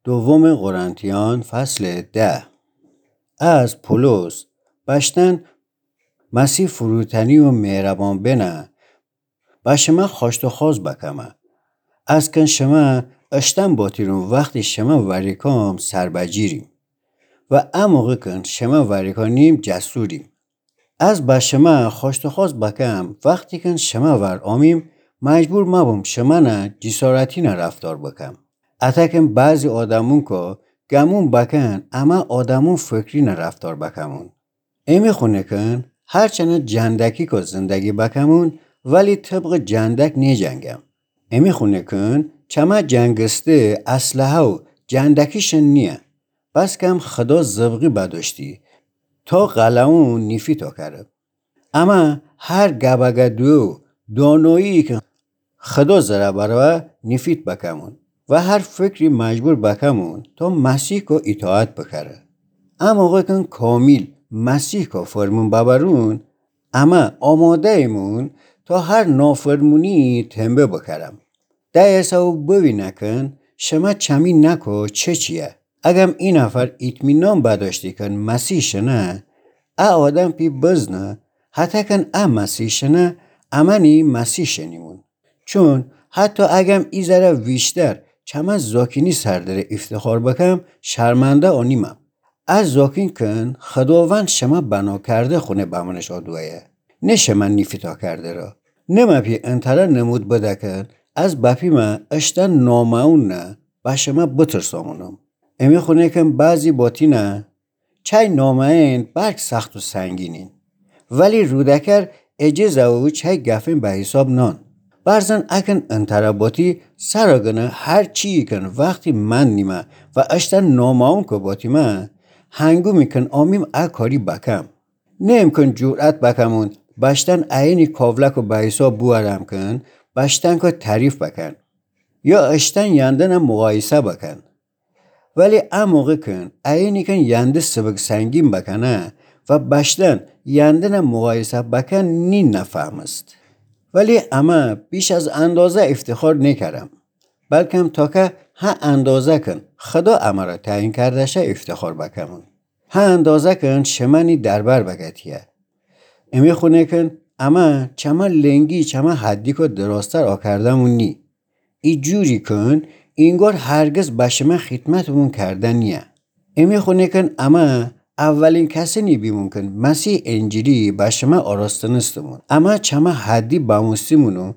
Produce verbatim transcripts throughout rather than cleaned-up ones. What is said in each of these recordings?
دوم قرنتیان فصل ده. از پولس، بشتن مسیح فروتنی و مهربان بنه، به شمه خوأشت و خواست بکمه. از کن شمه اشتن باتیرون وختی شمه وریکام سر بجیریم. و ا موقع کن شمه وریکا نیم جسوریم. از به شمه خوأشت و خواست بکم، وختی کن شمه ور آمیم، مجبور مبوم شمنه جسارتینه رفتار بکم. اته کن بعضی آدمون که گمون بکن، امه آدمون فکرینه رفتار بکمون. امی خونه کن هرچنه جندکی که زندگی بکمون، ولی طبق جندک نیجنگم. امی خونه کن چمه جنگسته اسلحه و جندکیشن نیه. بس کم خدا زبقی بداشتی تا قلعون نیفیتا کره. اما هر گبگدو دانایی که خدا زره بروه نیفیت بکمون و هر فکری مجبور بکمون تا مسیح که اطاعت بکره. ا موقع کن کامیل مسیح که فرمون ببرون، اما آماده ایمون تا هر نافرمونی تنبه بکرم. ده ایسا و بوینه کن شمه چمی نکو چه چیه. اگم ای نفر اطمینان بداشتی کن مسیح شنه، ا آدم پی بزنه، حتی کن ا مسیح شنه، امنی مسیح شنیمون. چون حتی اگم ای ذره ویشتر چمه زاکینی سر دره افتخار بکم، شرمنده آنیمم. ا زاکین کن خداوند شمه بنا کرده خونه بمنش آدویه. نه شمه نیفیتا کرده را. نه مه پی انتره نمود بده کن، از بپی مه اشتن نامه‌ون نه به شمه بترسامونم. امی خونه کن بعضی باتینه چای نامه‌ین بلک سخت و سنگینین. ولی رودکر اجزه و چای گفین به حساب نان. برزن اکن انتره باتی سرا گنه هر چی کن وختی من نیمه و اشتن نامه‌ون که باتیمه، هنگومی کن آمیم ا کاری بکم. نه امکن جرأت بکمون بشتن اینی کاولک و به حساب بوارم کن، بشتن که تعریف بکن. یا اشتن یندن مقایسه بکن. ولی ا موقع کن اینی کن ینده سبک سنگین بکنه و بشتن یندن مقایسه بکن نی نفهمست. ولی اما بیش از اندازه افتخار نکرم. بلکم تا که ها اندازه کن خدا امره تعیین کرده شه افتخار بکمون. ها اندازه کن شمنی دربر بگتیه. امی خونه کن اما چمه لنگی چمه حدی که دراستر آکردمون نی. ای جوری کن اینگار هرگز به شمه خدمتمون کرده نیه. امی خونه کن اما اولین کسینی بیمون کن مسیح انجیلی به شمه آراستنستمون. اما چمه حدی بموستیمون و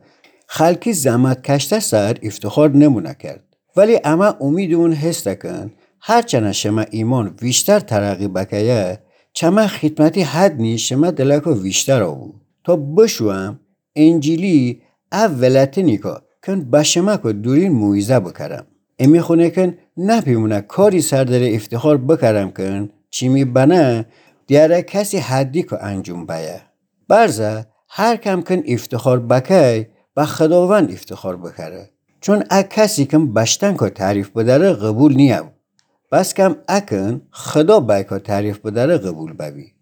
خلکی زحمت کشته سر افتخار نمونه کرد. ولی اما امیدمون هسته کن هرچنه شمه ایمان ویشتر ترقی بکیه، چمه خدمتی حد نی شمه دلکو ویشتر آبو. تا بشوم انجیلی ا ولتنی که کن به شمه که دورین موعظه بکرم. امی خونه کن نپیمونه کاری سر دره افتخار بکرم کن، چی می بنه دیاره کسی حدی که انجام بیه. برزه هر کم کن افتخار بکی، به خداوند افتخار بکره. چون ا کسی کن بشتن که تعریف بدره قبول نیه. بس کم اکن خدا بی که تعریف بدره قبول ببی.